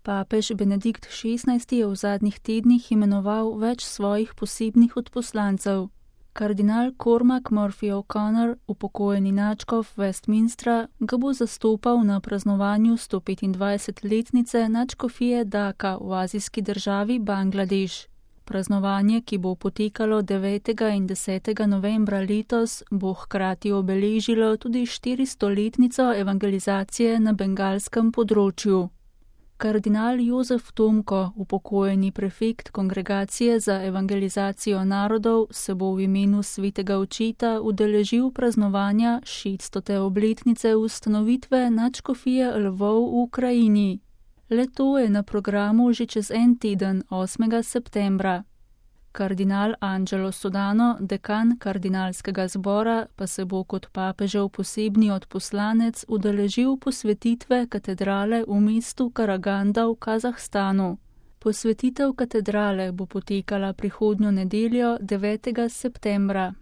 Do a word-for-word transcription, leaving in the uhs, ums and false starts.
Papež Benedikt šestnajsti je v zadnjih tednih imenoval več svojih posebnih odposlancev. Kardinal Cormac Murphy O'Connor, upokojeni nadškof Westminstra, ga bo zastopal na praznovanju sto petindvajsetletnice nadškofije Dhaka v azijski državi Bangladeš. Praznovanje, ki bo potekalo devetega in desetega novembra letos, bo hkrati obeležilo tudi štiristoletnico evangelizacije na bengalskem področju. Kardinal Jozef Tomko, upokojeni prefekt Kongregacije za evangelizacijo narodov, se bo v imenu svetega očeta udeležil praznovanja šeststote obletnice ustanovitve nadškofije Lvov v Ukrajini. Le-to je na programu že čez en teden, osmega septembra. Kardinal Angelo Sodano, dekan kardinalskega zbora, pa se bo kot papežev posebni odposlanec udeležil posvetitve katedrale v mestu Karaganda v Kazahstanu. Posvetitev katedrale bo potekala prihodnjo nedeljo, devetega septembra.